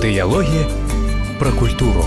Дыялогі пра культуру.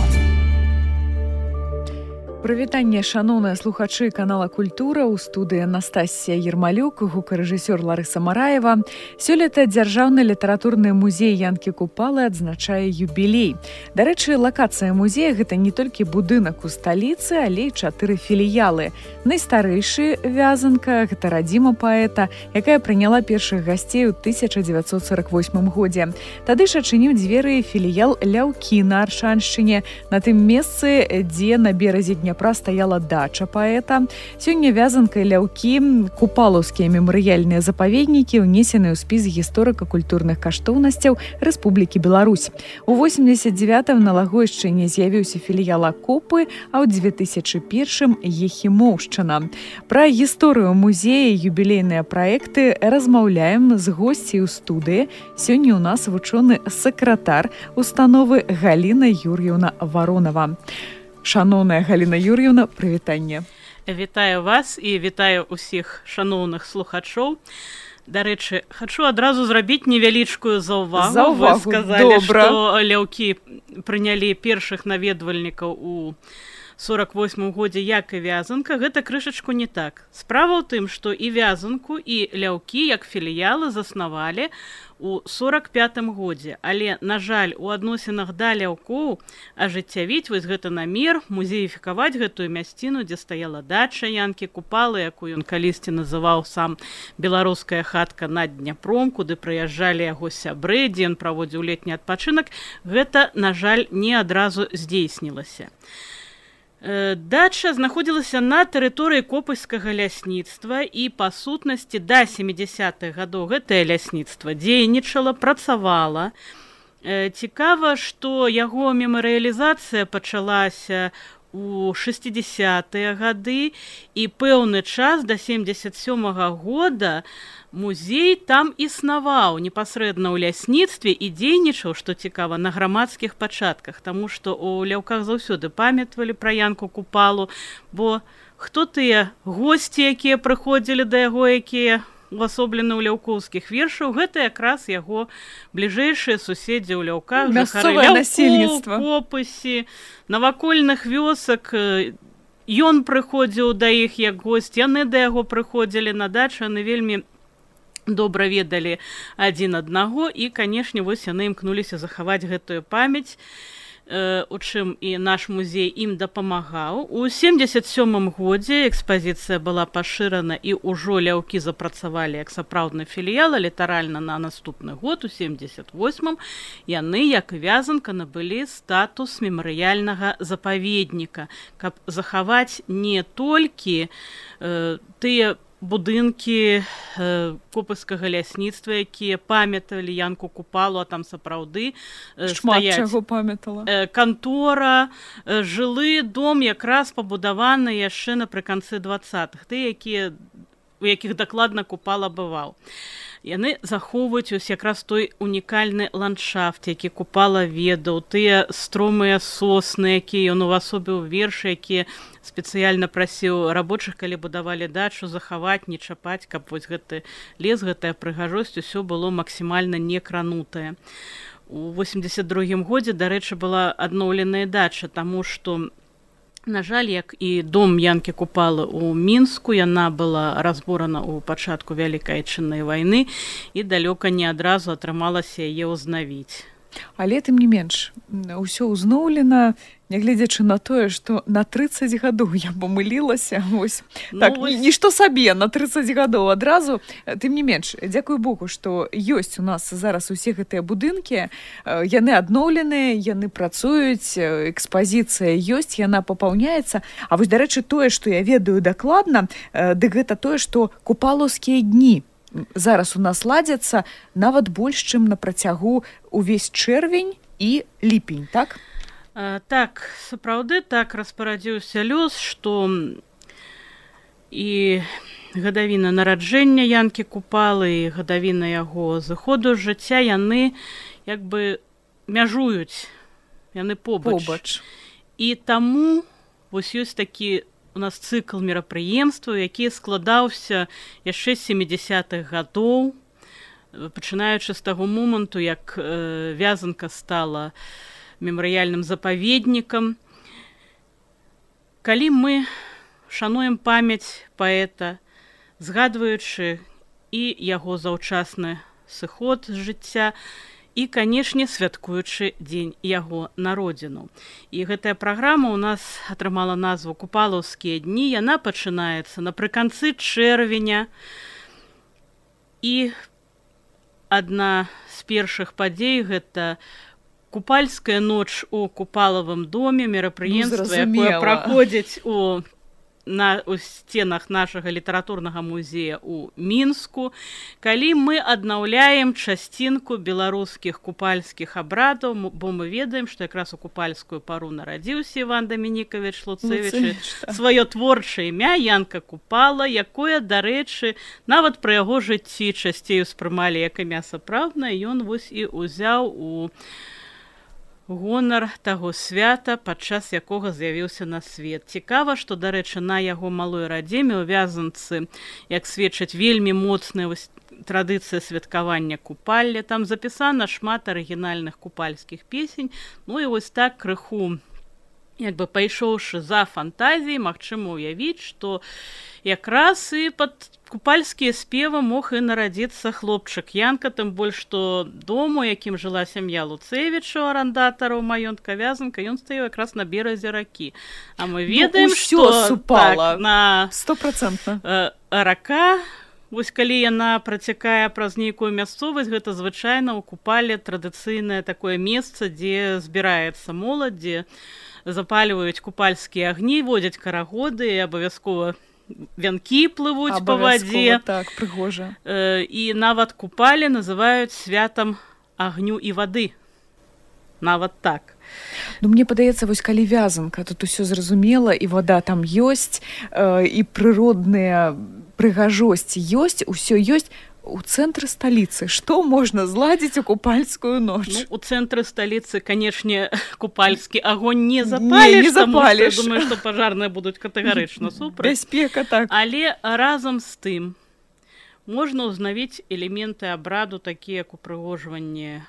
Прывітанне, шаноўныя слухачы канала «Культура», у студыі Анастасія Ермалюк, гукарэжысёр Ларыса Мараева. Сёлета Дзяржаўны літаратурны музей Янкі Купалы адзначае юбілей. Дарэчы, лакацыя музея – гэта не толькі будынак у сталіцы, але і 4 філіялы. Найстарэйшы Вязанка – гэта радзіма паэта, якая прыняла першых гасцей у 1948 годзе. Тады ж адчыніў дзверы філіял Ляўкі на Аршаншчыне, на тым месцы, дзе на беразе Дняпра стаяла дача паэта. Сёння Вязанка і Ляўкі, купалаўскія мемарыяльныя запаведнікі, унесены ў спіс гісторыка-культурных каштоўнасцяў Рэспублікі Беларусь. У 89-м на Лагойшчыне з'явіўся філіял Акопы, а ў 2001-м Ехімоўшчына. Пра гісторыю музея і юбілейныя праекты размаўляем з госцей у студыі. Сёння у нас вучоны сакратар установы Галіна Юр'еўна Варонава. Шаноўная Галіна Юр'еўна, прывітанне. Вітаю вас і вітаю ўсіх шаноўных слухачоў. Дарэчы, хачу адразу зрабіць невялічкую заўвагу. Вы сказалі, што Ляўкі прынялі першых наведвальнікаў у 48 годзе, як і Вязанка. Гэта крышачку не так. Справа ў тым, што і Вязанку, і Ляўкі, як філіялы, заснавалі у 45 годзе. Але, на жаль, у адносінах да Ляўкоў ажыццявіць вось гэты намер, музеіфікаваць гэтую мясціну, дзе стаяла дача Янкі Купалы, якую ён калісьці называў сам беларуская хатка над Дняпром, куды прыязджалі яго сябры, дзе ён праводзіў летні адпачынак, гэта, на жаль, не адразу здзейснілася. Дача знаходзілася на тэрыторыі Копыскага лясніцтва і, па сутнасці, да 70-х гадоў гэтае лясніцтва дзейнічала, працавала. Цікава, што яго мемарыялізацыя пачалася у 60-е гады, і пэўны час да 77-го года музей там існаваў непасрэдна ў лясніцтве і дзейнічаў, што цікава, на грамадскіх пачатках, таму што ў Ляўках заўсёды памятвалі пра Янку Купалу, бо хто тыя госці, якія прыходзілі да яго, якія увасоблены ў ляўкоўскіх вершаў, гэта якраз яго бліжэйшыя суседзі ў Ляўках, жыхары Ляўкоў, Копысі, навакольных вёсак. Ён прыходзіў да іх як госць, яны да яго прыходзілі на дачу, яны вельмі добра ведалі адзін аднаго, і, канешне, вось яны імкнуліся захаваць гэтую памяць, у чым і наш музей ім дапамагаў. У 77-м годзе экспазіцыя была пашырана, і ўжо Ляўкі запрацавалі як сапраўдны філіял, літаральна на наступны год, у 78-м, яны, як і Вязанка, набылі статус мемарыяльнага запаведніка, каб захаваць не толькі тыя будынкі Копыскага лясніцтва, якія памяталі Янку Купалу, а там сапраўды стаяць чаго памятала. Кантора, жылы дом якраз пабудаваны яшчэ напрыканцы 20-х, тыя, у якіх дакладна Купала бываў. Яны захоўваюць ось якраз той унікальны ландшафт, які Купала ведаў, тыя стромыя сосны, якія ён увасобіў вершы, якія спецыяльна прасіў рабочых, калі будавалі дачу, захаваць, не чапаць, каб вось гэты лес, гэтая прыгажосць, усё было максімальна не кранутае. У 82-м годзе, дарэчы, была адноўленая дача, таму што, на жаль, як і дом Янкі Купалы ў Мінску, яна была разборана ў пачатку Вялікай Айчыннай вайны, і далёка не адразу атрымалася яе ўзнавіць. Але, тым не менш, ўсё ўзноўлена, нягледзячы на тое, што на 30 гадоў я памылілася, вось, так, нішто сабе, на 30 гадоў адразу. Тым не менш, дзякуй Богу, што ёсць у нас зараз усе гэтыя будынкі, яны адноўленыя, яны працуюць, экспазіцыя ёсць, яна папаўняецца. А вось, дарэчы, тое, што я ведаю дакладна, дык гэта тое, што купалаўскія дні зараз у нас ладзяцца нават больш, чым на працягу увесь чэрвень і ліпень, так? Так, сапраўды так распарадзіўся лёс, што і гадавіна нараджэння Янкі Купалы, і гадавіна яго зыходу з жыцця, яны як бы мяжуюць, яны побач. І таму вось ёсць такі у нас цыкл мерапрыемстваў, які складаўся яшчэ з 70-х гадоў. пачынаючы з таго моманту, як Вязанка стала мемарыяльным запаведнікам. Калі мы шануем памяць паэта, згадваючы і яго заўчасны сыход з жыцця, і, канешне, святкуючы дзень яго народзіну. І гэтая праграма ў нас атрымала назву «Купалаўскія дні». Яна пачынаецца напрыканцы чэрвеня. І адна з першых падзей – гэта купальская ноч у Купалавым доме, мерапрыемства, якое праходзіць у сценах нашага літаратурнага музея ў Мінску, калі мы аднаўляем часцінку беларускіх купальскіх абрадаў, бо мы ведаем, што якраз у купальскую пару нарадзіўся Іван Дамінікавіч Луцэвіч, сваё творчае імя Янка Купала, якое, дарэчы, нават пры яго жыцці часцей успрымалі як імя сапраўднае, ён вось і ўзяў у гонар таго свята, падчас якога з'явіўся на свет. Цікава, што, дарэчы, на яго малой радзіме ў Вязанцы, як сведчаць, вельмі моцная традыцыя святкавання купалля. Там запісана шмат арыгінальных купальскіх песень. Ну і вось так крыху, як бы пайшоўшы за фантазіяй, магчыма ўявіць, што якраз і пад купальскія спевы мог і нарадзіцца хлопчык Янка, тым больш, што дом, у якім жыла сям'я Луцэвіча, арандатараў маёнтка Вязанка, ён стаяў якраз на беразе ракі. А мы ведаем, што так, на 100%. Рака, вось калі яна працякае праз нейкую мясцовасць, гэта звычайна ў Купале традыцыйнае такое месца, дзе збіраецца моладзь, дзе запальваюць купальскія агні, водзяць карагоды і абавязкова вянкі плывуць па вадзе. Так, прыгожа. І нават купалі называюць святам агню і вады. Нават так. Ну, мне падаецца, вось калі Вязанка, тут усё зразумела, і вада там ёсць, і прыродная прыгажосць ёсць, усё ёсць. У цэнтры сталіцы што можна зладзіць у купальскую ноч? Ну, у цэнтры сталіцы, канешне, купальскі агонь не запаліш, не запаліш. Я думаю, што пажарныя будуць катэгарычна супраць. Бяспека, так. Але разам з тым можна ўзнавіць элементы абраду, такія як упрыгожванне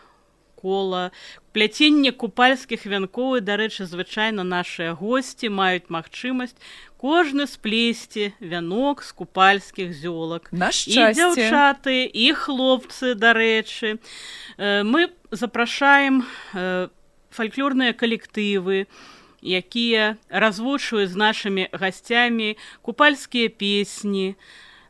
кола, пляценне купальскіх вянкоў, і, дарэчы, звычайна нашыя госці маюць магчымасць кожны сплесці вянок з купальскіх зёлак. На шчасце. І дзяўчаты, і хлопцы, дарэчы. Мы запрашаем фальклорныя калектывы, якія развучваюць з нашымі гасцямі купальскія песні,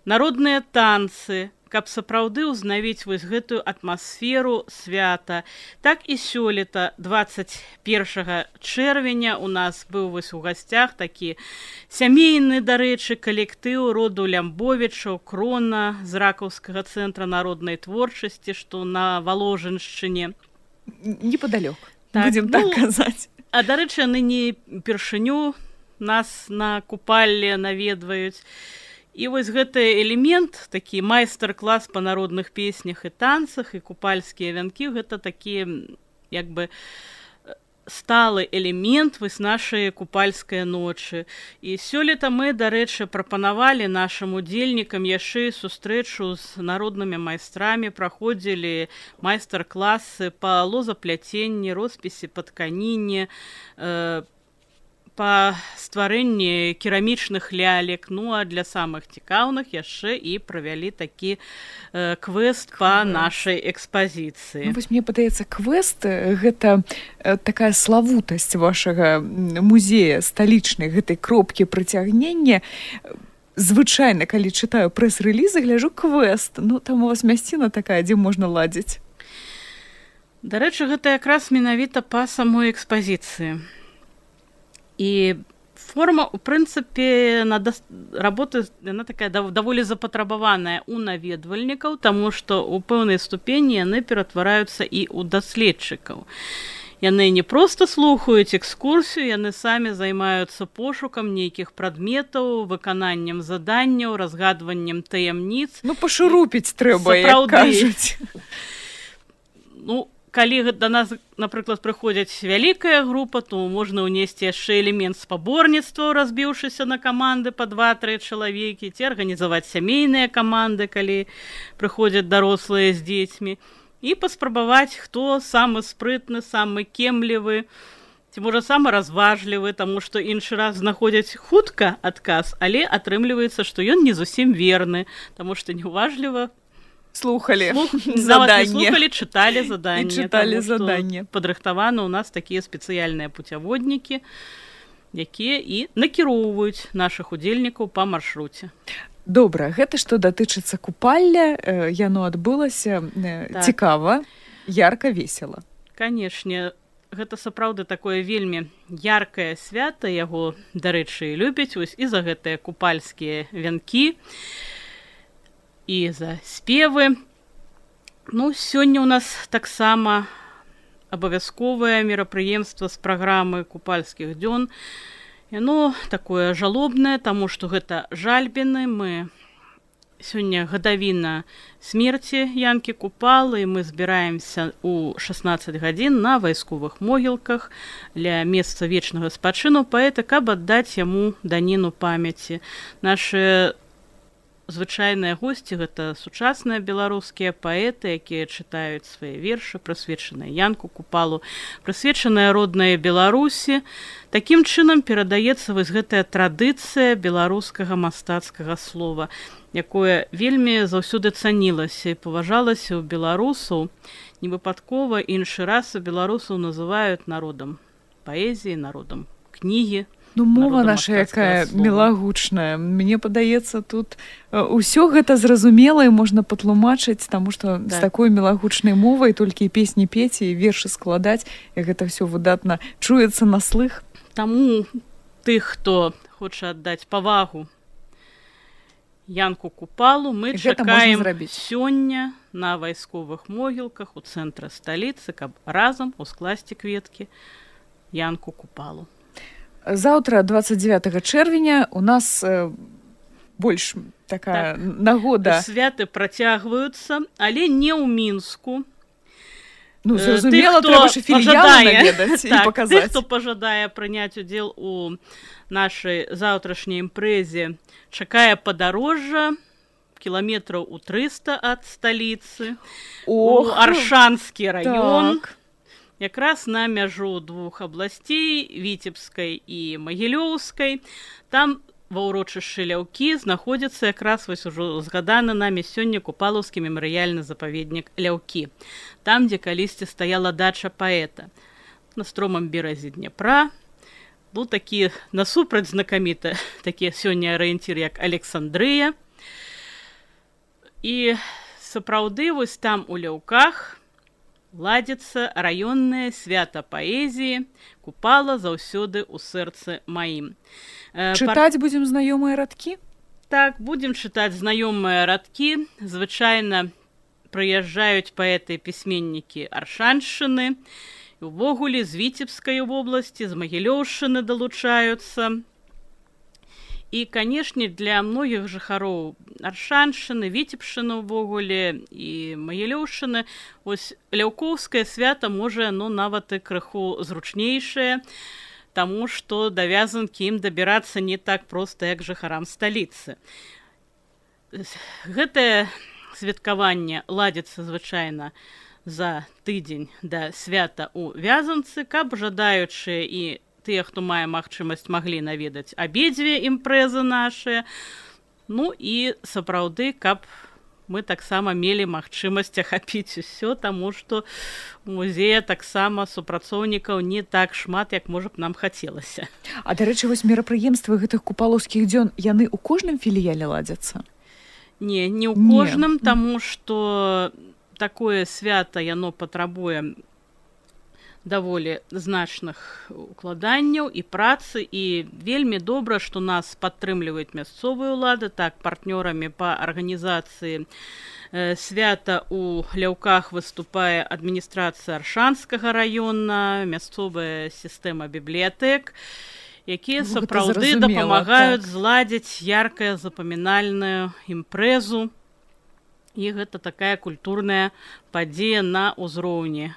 народныя танцы, каб сапраўды ўзнавіць вось гэтую атмасферу свята. Так і сёлета, 21 чэрвеня, у нас быў вось у гасцях такі сямейны, дарэчы, калектыў роду Лямбовічаў, Крона з ракаўскага цэнтра народнай творчасці, што на Валожыншчыне. Непадалёк, так, будзем так казаць. А, дарэчы, яны не першыню нас на купалле наведваюць. І вось гэты элемент, такі майстар-клас па народных песнях і танцах, і купальскія вянкі, гэта такі, як бы, сталы элемент вось нашай купальскай ночы. І сёлета мы, дарэчы, прапанавалі нашым удзельнікам яшчэ сустрэчу з народнымі майстрамі, праходзілі майстар-класы па лозапляценні, роспісе па тканіне, па стварэнні керамічных лялек. Ну, а для самых цікаўных яшчэ і правялі такі квест па нашай экспазіцыі. Ну, вось мне падаецца, квест — гэта такая славутасць вашага музея сталічнай, гэтай кропкі прыцягнення. Звычайна, калі чытаю прэс-рэлізы, гляджу квест. Ну, там у вас мясціна такая, дзе можна ладзіць. Дарэчы, гэта якраз менавіта па самой экспазіцыі. І форма, у прынцыпе, работы, яна такая даволі запатрабаваная ў наведвальнікаў, таму што ў пэўнай ступені яны ператвараюцца і ў даследчыкаў. Яны не проста слухаюць экскурсію, яны самі займаюцца пошукам нейкіх прадметаў, выкананнем заданняў, разгадваннем таямніц. Ну, пашурупіць трэба, як кажуць. Ну, калі да нас, напрыклад, прыходзяць вялікая група, то можна ўнесці яшчэ элемент спаборніцтва, разбіўшыся на каманды па 2-3 чалавекі, ці арганізаваць сямейныя каманды, калі прыходзяць дарослыя з дзецьмі, і паспрабаваць, хто самы спрытны, самы кемлівы, ці можа самы разважлівы, таму што іншы раз знаходзяць хутка адказ, але атрымліваецца, што ён не зусім верны, таму што неуважліва слухали слухали, читали задания. И читали задания. Падрыхтаваны у нас такія спецыяльныя пуцяводнікі, якія і накіроўваюць нашых удзельнікаў па маршруце. Добра, гэта што датычыцца купалля, яно адбылася цікава, ярка, весела. Канешне, гэта сапраўды такое вельмі яркае свята, яго, дарэчы, любяць вось і за гэтыя купальскія вянкі, і за спевы. Ну, сёння ў нас таксама абавязковае мерапрыемства з праграмы купальскіх дзён. Яно такое жалобнае, таму што гэта жальбіны. Мы сёння гадавіна смерці Янкі Купалы, і мы збіраемся ў 16 гадзін на вайсковых могілках ля месца вечнага спачыну паэта, каб аддаць яму даніну памяці. Нашы звычайныя госці — гэта сучасныя беларускія паэты, якія чытаюць свае вершы, прысвечаныя Янку Купалу, прысвечаныя роднай Беларусі. Такім чынам перадаецца вось гэтая традыцыя беларускага мастацкага слова, якое вельмі заўсёды цанілася і паважалася ў беларусаў. Невыпадкова іншы раз беларусаў называюць народам паэзіі, народам кнігі. Ну, мова наша якая мілагучная. Мне падаецца, тут усё гэта зразумела і можна патлумачыць, таму што з такой мілагучнай мовай толькі і песні пець і вершы складаць, і гэта ўсё выдатна чуецца на слых. Таму тых, хто хоча аддаць павагу Янку Купалу, мы чакаем сёння на вайсковых могілках у цэнтры сталіцы, каб разам ускласці кветкі Янку Купалу. Заўтра, 29 чэрвеня, у нас больш такая нагода. Святы працягваюцца, але не ў Мінску. Ну, зразумела, трэба ж філіялы наведаць і паказаць. Тых, хто пажадае прыняць удзел у нашай заўтрашняй імпрэзе, чакае падарожжа кіламетраў у 300 ад сталіцы, у Аршанскі раён. Якраз на мяжу двух абласцей, Віцебскай і Магілёўскай. Там ва ўрочышчы Ляўкі знаходзіцца якраз вось ужо згаданы намі сёння Купалаўскі мемарыяльны запаведнік Ляўкі. Там, дзе калісьці стаяла дача паэта. На стромам беразе Дняпра быў такі насупраць знакаміты такі сёння арыенцір, як Александрыя. І сапраўды вось там у Ляўках ладзіцца раённае свята паэзіі «Купала заўсёды ў сэрцы маім». Чытаць будзем знаёмыя радкі? Так, будзем чытаць знаёмыя радкі. Звычайна прыязджаюць паэты і пісьменнікі Аршаншчыны, і ўвогуле з Віцебскай вобласці, з Магілёўшчыны далучаюцца. І, канешне, для многіх жыхароў Аршаншчыны, Віцебшчыны ўвогуле і Магілёўшчыны ось ляўкоўскае свята можа нават і крыху зручнейшае, таму што да вязанкі ім дабірацца не так проста, як жыхарам сталіцы. Гэтае святкаванне ладзіцца звычайна за тыдзень да свята ў Вязанцы, каб жадаючыя і тыя, хто мае магчымасць, маглі наведаць абедзве імпрэзы нашыя. Ну і сапраўды, каб мы таксама мелі магчымасць ахапіць усё, таму што музея таксама супрацоўнікаў не так шмат, як, можа б, нам хацелася. А, дарэчы, вось мерапрыемствы гэтых купалаўскіх дзён, яны ў кожным філіяле ладзяцца? Не ў кожным, таму што такое свята, яно патрабуе даволі значных укладанняў і працы, і вельмі добра, што нас падтрымліваюць мясцовыя ўлады. Так, партнёрамі па арганізацыі свята ў Ляўках выступае адміністрацыя Аршанскага раёна, мясцовая сістэма бібліятэк, якія сапраўды дапамагаюць зладзіць яркая запамінальную імпрэзу. І гэта такая культурная падзея на ўзроўні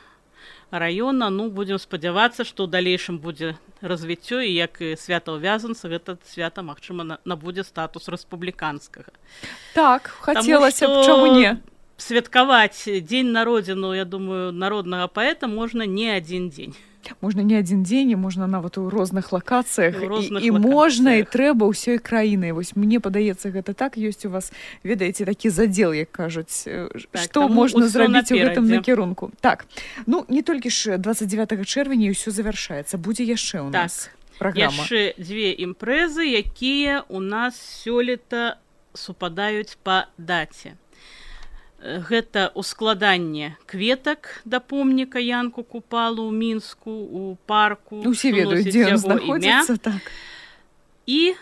раёна. Ну, будзем спадзявацца, што ў далейшым будзе развіццё, і як і свята ў Вязанцы, гэта свята, магчыма, набудзе статус рэспубліканскага. Так, хацелася б, чаму не? Святкаваць дзень народзіну, я думаю, народнага паэта можна не адзін дзень. Можна не адзін дзень, і можна нават у розных лакацыях, і можна, і трэба ўсёй краінай. Вось мне падаецца, гэта так, ёсць у вас, ведаеце, такі задзел, як кажуць, так, што можна зрабіць у гэтым накірунку. Так, ну, не толькі ж 29 чэрвеня ўсё завяршаецца, будзе яшчэ ў нас праграма. Яшчэ дзве імпрэзы, якія у нас сёлета супадаюць па даце. Гэта ускладанне кветак да помніка Янку Купалу ў Мінску, у парку. Усе ведаюць, дзе ён знаходзіцца, так. І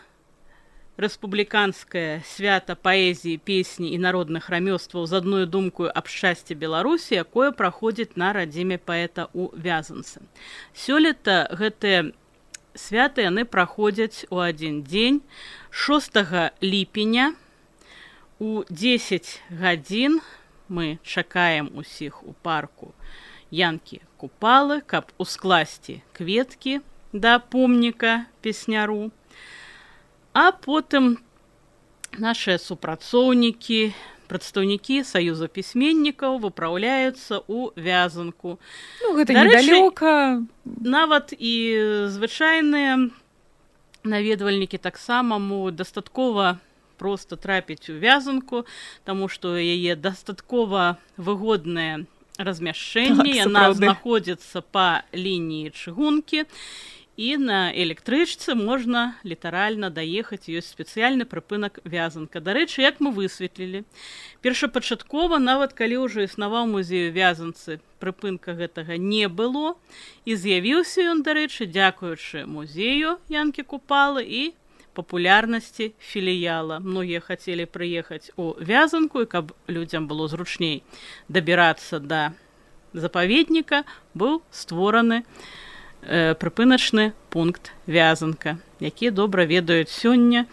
рэспубліканскае свята паэзіі, песні і народных рамёстваў з адной думкою аб шчасці Беларусі, якое праходзіць на радзіме паэта ў Вязанцы. Сёлета гэтыя святы яны праходзяць у адзін дзень, 6 ліпеня, у 10 гадзін мы чакаем усіх у парку Янкі Купалы, каб ускласці кветкі да помніка песняру. А потым нашыя супрацоўнікі, прадстаўнікі Саюза пісьменнікаў выпраўляюцца ў Вязанку. Ну, гэта недалёка. Нават і звычайныя наведвальнікі таксама могуць дастаткова просто трапіць у Вязанку, таму што яе дастаткова выгоднае размяшчэнне, яна знаходзіцца па лініі чыгункі, і на электрычцы можна літаральна даехаць, ёсць спецыяльны прыпынак Вязанка. Дарэчы, як мы высветлілі, першапачаткова, нават калі ўжо існаваў музей у Вязанцы, прыпынка гэтага не было, і з'явіўся ён, дарэчы, дзякуючы музею Янкі Купалы і папулярнасці філіяла. Многія хацелі прыехаць у Вязанку, і каб людзям было зручней дабірацца да запаведніка, быў створаны прыпыначны пункт Вязанка, які добра ведаюць сёння.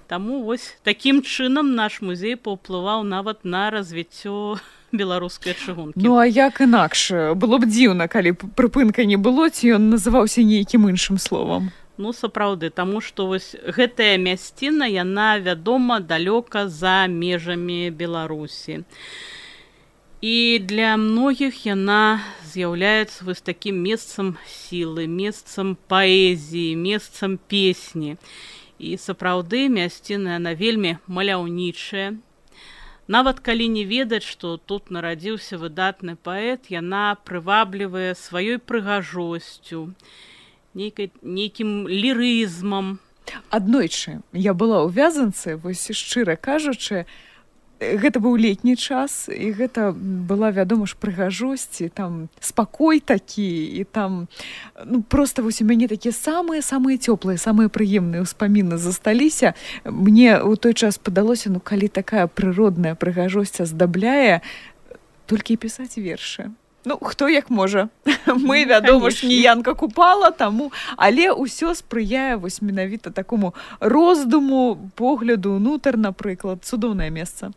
Таму вось такім чынам наш музей паўплываў нават на развіццё беларускай чыгункі. Ну, а як інакш? Было б дзіўна, калі прыпынка не было, ці ён называўся нейкім іншым словам. Ну, сапраўды, таму што вось гэтая мясціна, яна вядома далёка за межамі Беларусі. І для многіх яна з'яўляецца вось такім месцам сілы, месцам паэзіі, месцам песні. І сапраўды мясціна, яна вельмі маляўнічая. Нават калі не ведаць, што тут нарадзіўся выдатны паэт, яна прываблівае сваёй прыгажосцю, нейкім лірызмам. Аднойчы я была ў Вязанцы, вось шчыра кажучы, гэта быў летні час, і гэта была, вядома ж, прыгажосць, там спакой такі, і там просто вось у мяне такія самыя цёплыя, самыя прыемныя ўспаміны засталіся. Мне ў той час падалося, калі такая прыродная прыгажосць аздабляе, толькі і пісаць вершы. Хто як можа. Мы, вядома ж, не Янка Купала, таму, але ўсё спрыяе вось менавіта такому роздуму, погляду ўнутр, напрыклад, цудоўнае месца.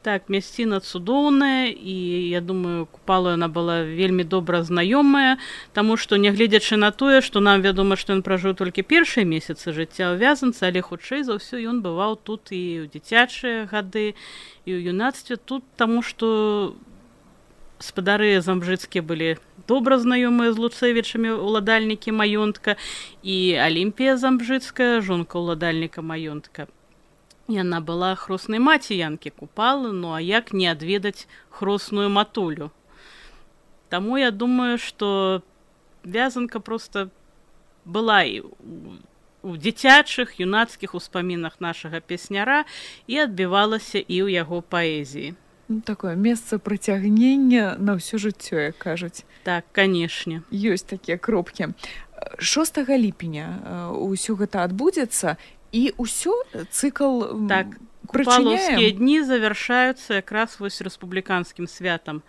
Так, мясціна цудоўная, і я думаю, Купала яна была вельмі добра знаёмая, таму што, нягледзячы на тое, што нам вядома, што ён пражыў толькі першыя месяцы жыцця ў Вязанцы, але хутчэй за ўсё ён бываў тут і ў дзіцячыя гады, і ў юнацтве тут, таму што спадары замбжыцкія былі добра знаёмыя з Луцэвічамі, уладальнікі маёнтка, і Алімпія Замбжыцкая, жонка уладальніка маёнтка. Яна была хроснай маці Янкі Купалы, ну а як не адведаць хросную матулю? Таму я думаю, што Вязанка проста была і у дзіцячых, юнацкіх успамінах нашага песняра і адбівалася і ў яго паэзіі. Такое месца прыцягнення на ўсё жыццё, як кажуць. Так, канешне. Ёсць такія кропкі. 6 ліпеня ўсё гэта адбудзецца, і ўсё цыкл так, купалаўскія дні завяршаюцца якраз вось рэспубліканскім святам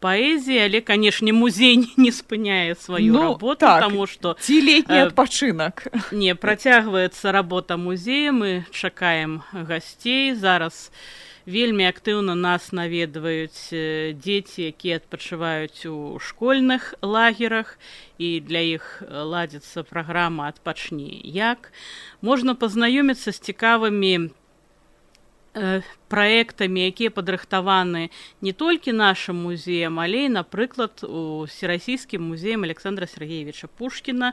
паэзіі, але, канешне, музей не спыняе сваю работу, таму што ці летні адпачынак. Не, працягваецца работа музея, мы чакаем гасцей. Зараз вельмі актыўна нас наведваюць дзеці, якія адпачываюць у школьных лагерах, і для іх ладзіцца праграма «Адпачні як». Можна пазнаёміцца з цікавымі праектамі, якія падрыхтаваны не толькі нашым музеем, але і, напрыклад, у Всероссийскім музеем Александра Сергеевича Пушкіна,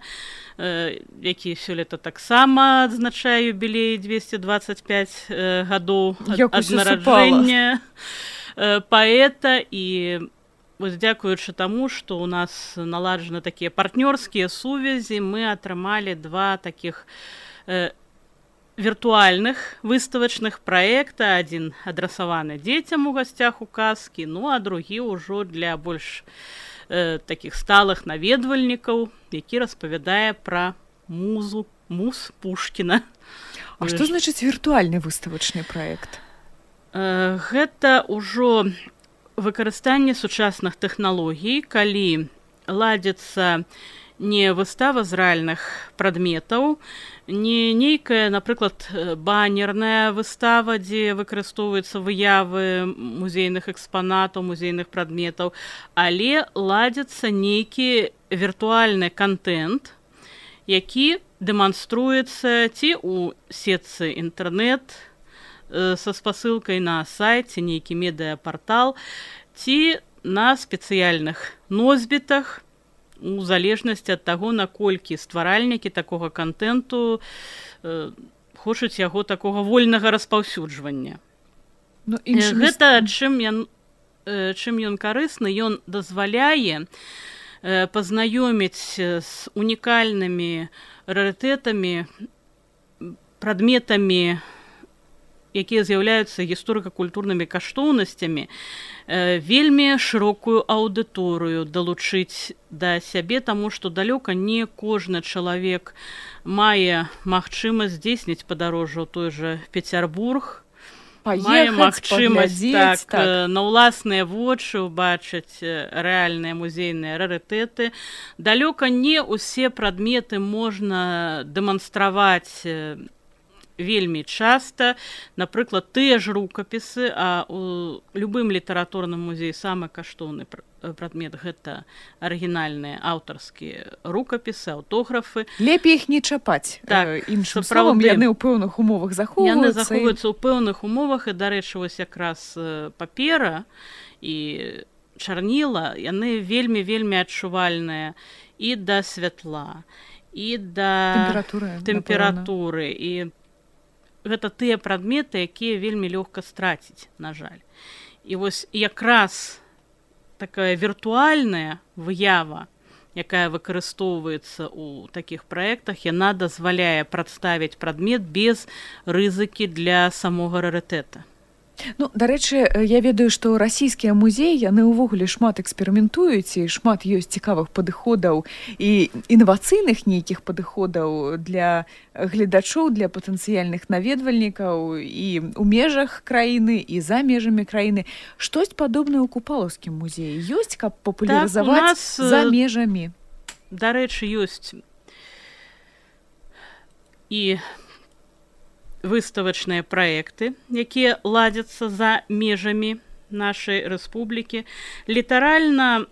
які сёлета таксама адзначае юбілей 225 гадоў ад нараджэння паэта. І вось дзякуючы таму, што ў нас наладжаны такія партнёрскія сувязі, мы атрымалі два такіх віртуальных выставачных праекта. Адзін адрасаваны дзецям у гасцях у казкі, ну а другі ўжо для больш такіх сталых наведвальнікаў, які распавядае пра муз Пушкіна. А што значыць віртуальны выставачны праект? Гэта ўжо выкарыстанне сучасных тэхналогій, калі ладзіцца не выстава з рэальных прадметаў, не нейкая, напрыклад, баннерная выстава, дзе выкарыстоўваюцца выявы музейных экспанатаў, музейных прадметаў, але ладзіцца нейкі віртуальны контент, які дэманструецца ці ў сетцы інтэрнэт са спасылкай на сайце, нейкі медыапартал, ці на спецыяльных носьбітах, у залежнасці ад таго, наколькі стваральнікі такога контенту хочуць яго такога вольнага распаўсюджвання. Гэта чым ён карысны, ён дазваляе пазнаёміць з унікальнымі рарытэтамі, прадметамі, якія з'яўляюцца гісторыка-культурнымі каштоўнасцямі, вельмі шырокую аўдыторыю далучыць да сябе, таму што далёка не кожны чалавек мае магчымасць здзейсніць падарожжа ў той жа Пецярбург, мае магчымасць на ўласныя вочы ўбачыць рэальныя музейныя рарытэты. Далёка не ўсе прадметы можна дэманстраваць вельмі часта. Напрыклад, тыя ж рукапісы, а у любым літаратурным музеі самы каштоўны прадмет гэта арыгінальныя аўтарскія рукапісы, аўтографы. Лепей іх не чапаць. Іншым словам, яны ў пэўных умовах захоўваюцца. Яны захоўваюцца ў пэўных умовах, і, дарэчы, вось якраз папера і чарніла, яны вельмі адчувальныя і да святла, і да тэмпературы. І гэта тыя прадметы, якія вельмі лёгка страціць, на жаль. І вось якраз такая віртуальная выява, якая выкарыстоўваецца ў такіх праектах, яна дазваляе прадставіць прадмет без рызыкі для самога рарытэта. Ну, дарэчы, я ведаю, што расійскія музеі, яны ўвогуле шмат эксперыментуюць, і шмат ёсць цікавых падыходаў і інавацыйных нейкіх падыходаў для гледачоў, для патэнцыяльных наведвальнікаў і ў межах краіны, і за межамі краіны. Штось падобнае ў Купалаўскім музеі ёсць, каб папулярызаваць за межамі? Дарэчы, ёсць і выставачныя праекты, якія ладзяцца за межамі нашай рэспублікі. Літаральна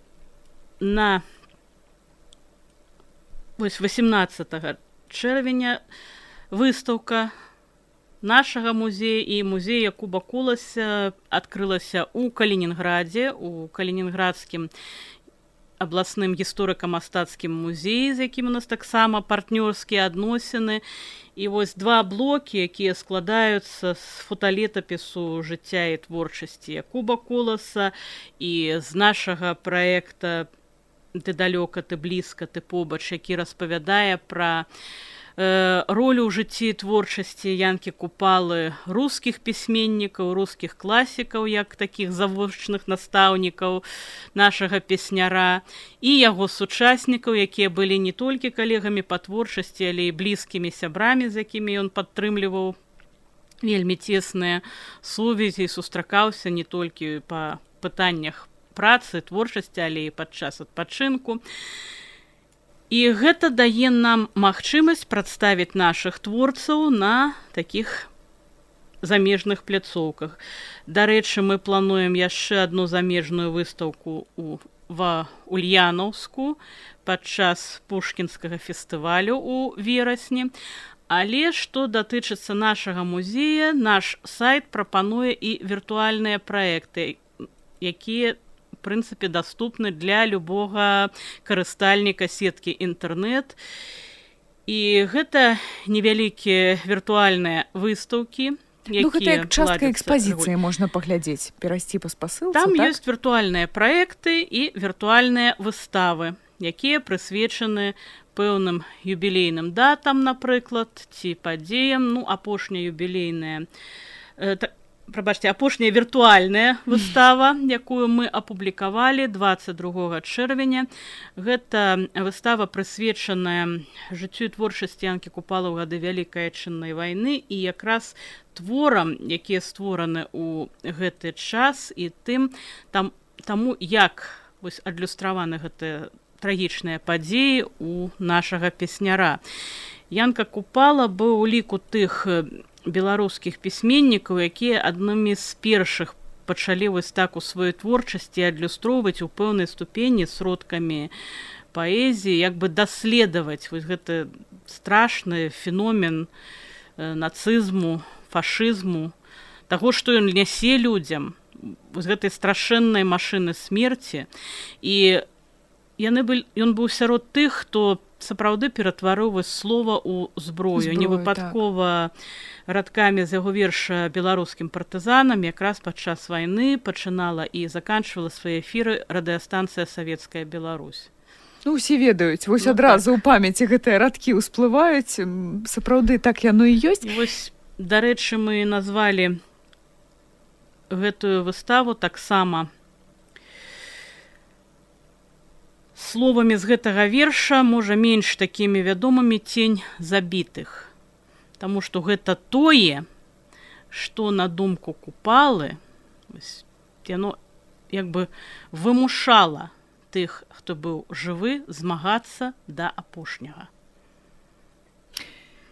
на 18 чэрвеня выстаўка нашага музея і музея Куба Куласа адкрылася ў Калінінградзе, у Калінінградскім абласным гісторыка-мастацкім музеі, з якім у нас таксама партнёрскія адносіны. І вось два блокі, якія складаюцца з фоталетапісу жыцця і творчасці Куба Куласа і з нашага праекта «Ты далёка, ты блізка, ты побач», які распавядае пра ролю ў жыцці творчасці Янкі Купалы рускіх пісьменнікаў, рускіх класікаў, як такіх завочных настаўнікаў нашага песняра, і яго сучаснікаў, якія былі не толькі калегамі па творчасці, але і блізкімі сябрамі, з якімі ён падтрымліваў вельмі цесныя сувязі і сустракаўся не толькі па пытаннях працы, творчасці, але і падчас адпачынку. І гэта дае нам магчымасць прадставіць нашых творцаў на такіх замежных пляцоўках. Дарэчы, мы плануем яшчэ одну замежную выстаўку ва Ульянаўску падчас пушкінскага фестывалю ў верасні. Але што датычыцца нашага музея, наш сайт прапануе і віртуальныя праекты, якія, в прынцыпе, даступны для любога карыстальніка сеткі інтэрнэт. І гэта невялікія віртуальныя выстаўкі, гэта як частка экспазіцыі можна паглядзець, перайсці па спасылцы. Там ёсць віртуальныя праекты і віртуальныя выставы, якія прысвечаны пэўным юбілейным датам, напрыклад, ці падзеям. Апошняя юбілейная, апошняя віртуальная выстава, якую мы апублікавалі 22 чэрвеня. Гэта выстава прысвечаная жыццю і творчасці Янкі Купалы ў гады Вялікай Адчыннай вайны і якраз творам, якія створаны ў гэты час, і таму, як адлюстраваны гэтыя трагічныя падзеі у нашага песняра. Янка Купала быў у ліку тых беларускіх пісьменнікаў, якія аднымі з першых пачалі вось так у сваёй творчасці адлюстроўваць у пэўнай ступені сродкамі паэзіі, як бы даследаваць вось гэты страшны феномен нацызму, фашызму, таго, што ён нясе людзям, вось гэтай страшэннай машыны смерці. І ён быў сярод тых, хто сапраўды ператварыў вось слова ў зброю. Не выпадкова радкамі з яго верша беларускім партызанам якраз падчас вайны пачынала і заканчвала свае эфіры радыёстанцыя «Савецкая Беларусь». Усе ведаюць, вось адразу ў памяці гэтыя радкі ўсплываюць, сапраўды так яно і ёсць. Вось, дарэчы, мы назвалі гэтую выставу таксама словамі з гэтага верша, можа, менш такімі вядомымі «Цень забітых». Таму што гэта тое, што на думку Купалы, яно як бы вымушала тых, хто быў жывы, змагацца да апошняга.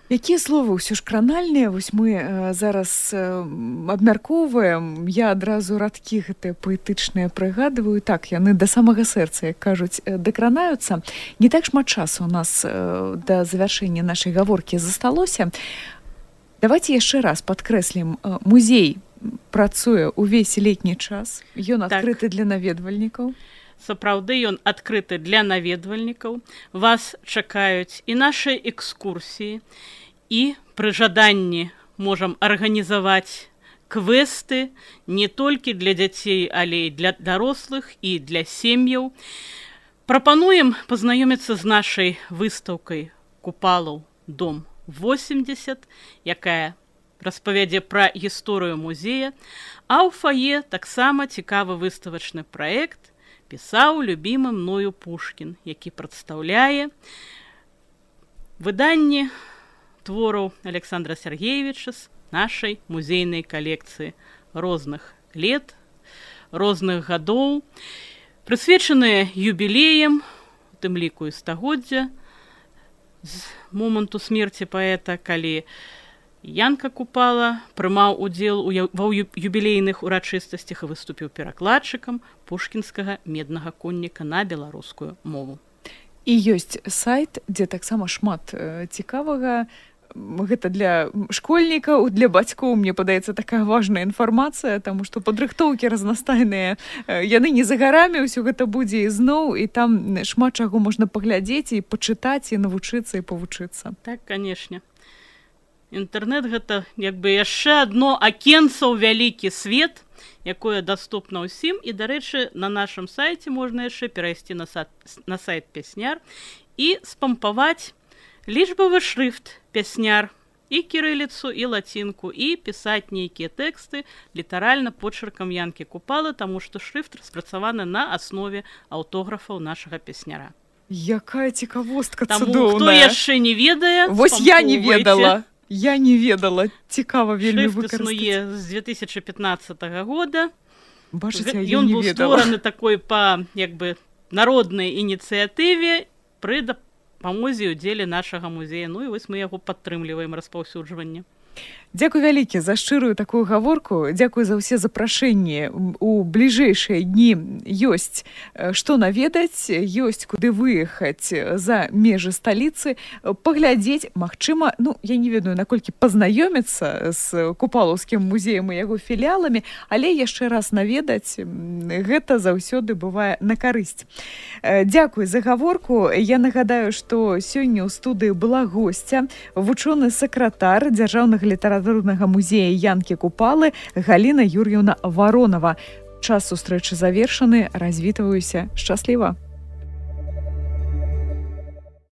Якія словы ўсё ж кранальныя, вось мы зараз абмяркоўваем, я адразу радкі гэтыя паэтычныя прыгадваю, так, яны да самага сэрца, як кажуць, дакранаюцца. Не так шмат часу у нас да завяршэння нашай гаворкі засталося. Давайте яшчэ раз падкрэслім, музей працуе ўвесь летні час, ён адкрыты для наведвальнікаў. Сапраўды ён адкрыты для наведвальнікаў. Вас чакаюць і нашыя экскурсіі, і пры жаданні можам арганізаваць квесты не толькі для дзяцей, але і для дарослых і для сем'яў. Прапануем пазнаёміцца з нашай выстаўкай Купалаў дом 80, якая распавядзе пра гісторыю музея, а ў фае таксама цікавы выставачны праект «Пісаў любімы мною Пушкін», які прадстаўляе выданні твораў Александра Сергеевича з нашай музейнай калекцыі розных лет, розных гадоў, прысвечаныя юбілеям, у тым ліку і стагоддзя з моманту смерці паэта, калі Янка Купала прымаў удзел ва юбілейных урачыстасцях і выступіў перакладчыкам пушкінскага меднага конніка на беларускую мову. І ёсць сайт, дзе таксама шмат цікавага. Гэта для школьнікаў, для бацькоў, мне падаецца, такая важная інфармацыя, таму што падрыхтоўкі разнастайныя, яны не за гарамі, ўсё гэта будзе ізноў, і там шмат чаго можна паглядзець і пачытаць, і навучыцца, і павучыцца. Так, канешне. Інтэрнэт гэта як бы яшчэ адно акенца ў вялікі свет, якое даступна ўсім. І, дарэчы, на нашым сайце можна яшчэ перайсці на сайт «Песняр» і спампаваць лічбавы шрыфт «Песняр», і кірыліцу, і лацінку, і пісаць нейкія тэксты літаральна почеркам Янкі Купалы, таму што шрыфт распрацаваны на аснове аўтографаў нашага песняра. Якая цікавостка цудоўная. Таму, хто яшчэ не ведае, вось я не ведала. Я не ведала, цікава вельмі выкарыстаць. Шрыфт існуе з 2015 года. Бачыце, я не ведала. Ён быў створаны такой па, як бы, народнай ініцыятыве пры дапамозе ўдзеле нашага музея. Ну і вось мы яго падтрымліваем распаўсюджванне. Дзякуй вялікі за шчырую такую гаворку. Дзякуй за ўсе запрашэнні. У бліжэйшыя дні ёсць што наведаць, ёсць куды выехаць за межы сталіцы, паглядзець, магчыма, я не ведаю, наколькі пазнаёміцца з Купалаўскім музеем і яго філіяламі, але яшчэ раз наведаць, гэта заўсёды бывае на карысць. Дзякуй за гаворку. Я нагадаю, што сёння ў студыі была госця, вучоны сакратар Дзяржаўнага літаратурнага музея Янкі Купалы Галіна Юр'еўна Варонова. Час сустрэчы завершаны. Развітваюся. Шчасліва.